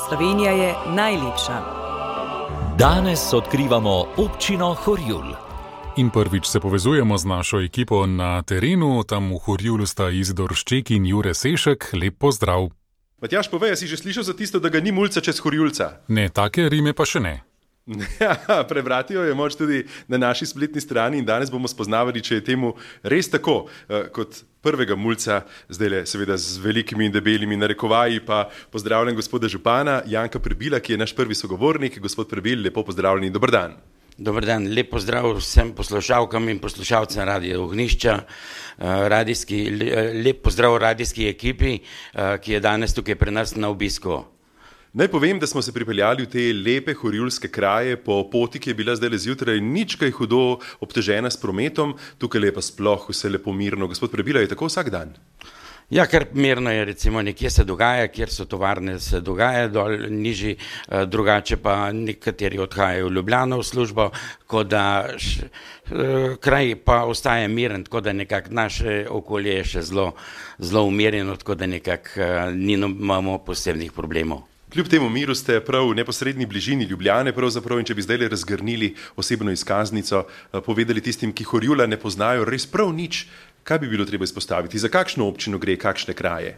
Slovenija je najlepša. Danes odkrivamo občino Horjul. In prvič se povezujemo z našo ekipo na terenu, tam v Horjulu sta Izidor Šček in Jure Sešek. Lep pozdrav. Matjaž, povej, si že slišal za tisto, da ga ni mulca čez Horjulca? Ne, take rime pa še ne. Ja, prebrati jo je moč tudi na naši spletni strani in danes bomo spoznavali, če je temu res tako. Kot prvega mulca, zdaj seveda z velikimi in debelimi narekovaji, pa pozdravljam gospoda župana Janka Prebila, ki je naš prvi sogovornik. Gospod Prebil, lepo pozdravljeni, dober dan. Dober dan, lep pozdrav vsem poslušalkam in poslušalcem Radia Ognjišča, lep pozdrav radijski ekipi, ki je danes tukaj pri nas na obisku. Naj povem, da smo se pripeljali v te lepe horjulske kraje po poti, ki je bila zdaj zjutraj nič kaj hudo obtežena s prometom, tukaj je pa sploh vse lepo mirno. Gospod Prebila, je tako vsak dan? Ja, kar mirno je, recimo nekje se dogaja, kjer so tovarne, se dogaja dol nižji, drugače pa nekateri odhajajo v Ljubljano v službo, kot da kraj pa ostaje miren, tako da nekako naše okolje je še zelo umirjeno, tako da nekako nimamo posebnih problemov. Kljub temu miru ste prav v neposredni bližini Ljubljane, pravzaprav, in če bi zdaj razgrnili osebno izkaznico, povedali tistim, ki Horjula ne poznajo res prav nič, kaj bi bilo treba izpostaviti? Za kakšno občino gre, kakšne kraje?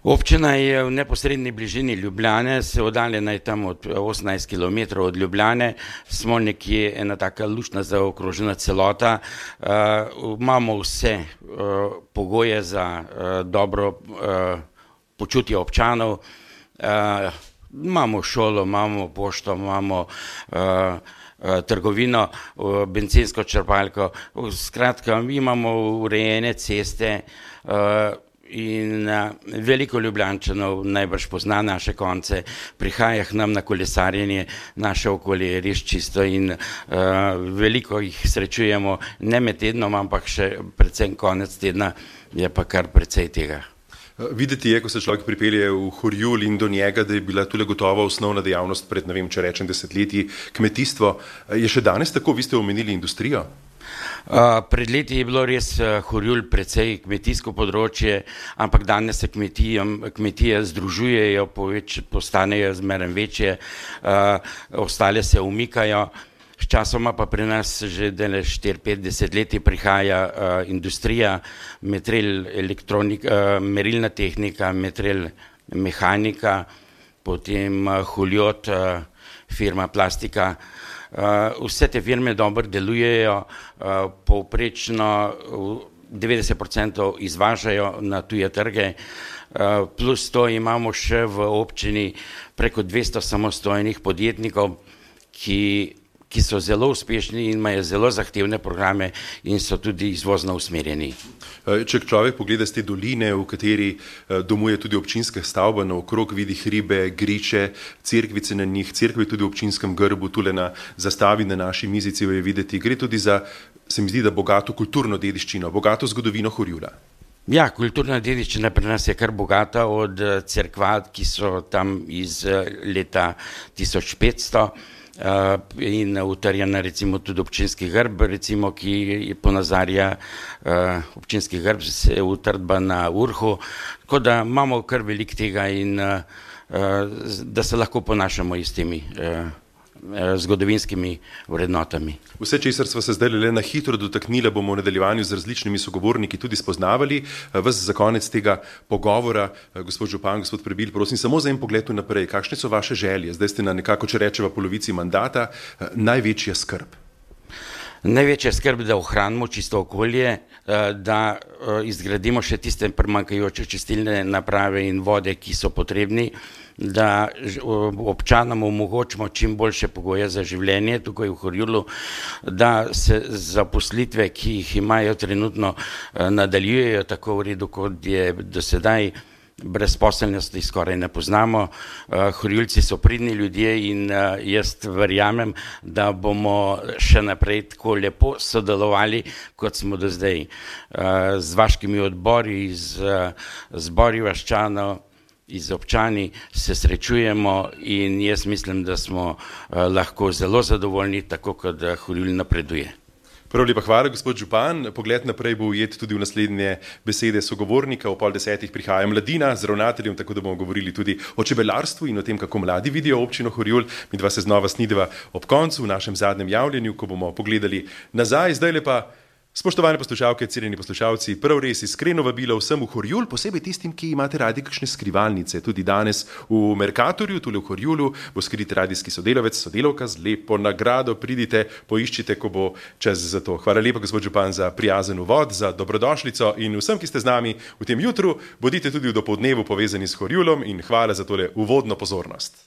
Občina je v neposredni bližini Ljubljane, se oddaljena je tam od 18 km od Ljubljane, smo nekje ena taka luštna zaokrožena celota, imamo vse pogoje za dobro počutje občanov, imamo šolo, imamo pošto, imamo trgovino, bencinsko črpalko, skratka imamo urejene ceste in veliko Ljubljančanov najbrž pozna naše konce, prihaja k nam na kolesarjenje, naše okolje je res čisto in veliko jih srečujemo, ne med tednom, ampak še predvsem konec tedna je pa kar precej tega. Videti je, ko se človek pripelje v Horjul in do njega, da je bila tule gotovo osnovna dejavnost pred, ne vem, če rečem desetletji, kmetijstvo. Je še danes tako, vi ste omenili industrijo? Pred leti je bilo res Horjul precej kmetijsko področje, ampak danes se kmetije združujejo, postanejo zmeraj večje, ostale se umikajo. Sčasoma pa pri nas že 4-5 desetletij prihaja industrija, merilna tehnika, mehanika, potem Huljot, firma Plastika. Vse te firme dobro delujejo, povprečno 90% izvažajo na tuje trge, plus to imamo še v občini preko 200 samostojnih podjetnikov, ki so zelo uspešni in imajo zelo zahtevne programe in so tudi izvozno usmerjeni. Če človek pogleda z te doline, v kateri domuje tudi občinska stavba, naokrog vidi hribe, griče, cerkvice na njih, cerkve tudi v občinskem grbu, tule na zastavi na naši mizici je videti, gre tudi za, se mi zdi, da bogato kulturno dediščino, bogato zgodovino Horjula. Ja, kulturna dediščina pri nas je kar bogata, od cerkva, ki so tam iz leta 1500, in utrjena recimo tudi občinski grb, recimo, ki ponazarja občinski grb, se utrdba na vrhu, tako da imamo kar veliko tega in da se lahko ponašamo s temi zgodovinskimi vrednotami. Vse, česar smo se zdaj le na hitro dotaknili, bomo v nadaljevanju z različnimi sogovorniki tudi spoznavali. Vas za konec tega pogovora, gospod župan, gospod Prebil, prosim samo za en pogled naprej. Kakšne so vaše želje? Zdaj ste na nekako, če rečeva, polovici mandata. Največja skrb? Največja skrb, da ohranimo čisto okolje, da izgradimo še tiste primanjkajoče čistilne naprave in vode, ki so potrebni, da občanom omogočimo čim boljše pogoje za življenje tukaj v Horjulu, da se zaposlitve, ki jih imajo trenutno, nadaljujejo tako v redu, kot je do sedaj. Brezposelnosti skoraj ne poznamo, Horjuljci so pridni ljudje in jaz verjamem, da bomo še naprej tako lepo sodelovali, kot smo do zdaj. Z vaškimi odbori, z zbori vaščanov, z občani se srečujemo in jaz mislim, da smo lahko zelo zadovoljni, tako kot Horjul napreduje. Prav lepa hvala, gospod župan. Pogled naprej bo ujet tudi v naslednje besede sogovornika. O 9:30 prihaja Mladina z ravnateljem, tako da bomo govorili tudi o čebelarstvu in o tem, kako mladi vidijo občino Horjul. Midva se znova snideva ob koncu v našem zadnjem javljenju, ko bomo pogledali nazaj. Zdaj lepa, spoštovane poslušalke, cenjeni poslušalci, prav res iskreno vabilo vsem v Horjul, posebej tistim, ki imate radi kakšne skrivalnice. Tudi danes v Mercatorju, tule v Horjulu, bo skrit radijski sodelavec, sodelavka z lepo nagrado. Pridite, poiščite, ko bo čas za to. Hvala lepa, gospod župan, za prijazen uvod, za dobrodošlico in vsem, ki ste z nami v tem jutru, bodite tudi v dopoldnevu povezani s Horjulom in hvala za tole uvodno pozornost.